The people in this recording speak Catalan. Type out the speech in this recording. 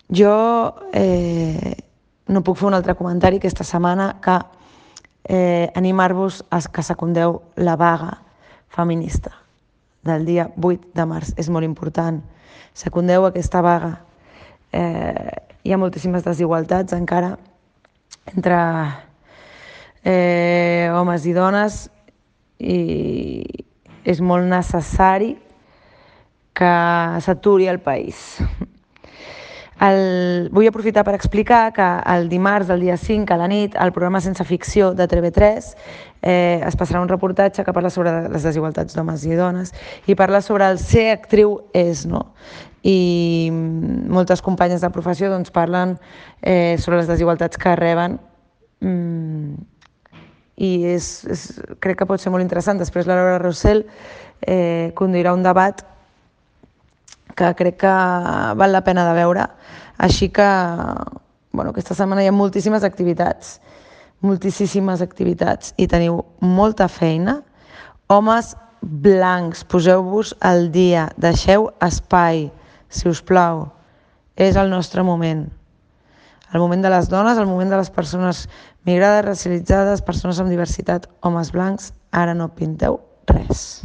Jo no puc fer un altre comentari aquesta setmana que animar-vos a que secundeu la vaga feminista del dia 8 de març. És molt important. Secundeu aquesta vaga. Hi ha moltíssimes desigualtats encara entre homes i dones i és molt necessari que s'aturi el país. Vull aprofitar per explicar que el dimarts, el dia 5, a la nit, al programa Sense Ficció de TV3 es passarà un reportatge que parla sobre les desigualtats d'homes i dones i parla sobre el ser actriu és, no? I moltes companyes de professió doncs, parlen sobre les desigualtats que reben i crec que pot ser molt interessant. Després la Laura Rossell conduirà un debat que crec que val la pena de veure. Així que, aquesta setmana hi ha moltíssimes activitats i teniu molta feina. Homes blancs, poseu-vos al dia, deixeu espai, si us plau. És el nostre moment. El moment de les dones, el moment de les persones migrades, racialitzades, persones amb diversitat, homes blancs, ara no pinteu res.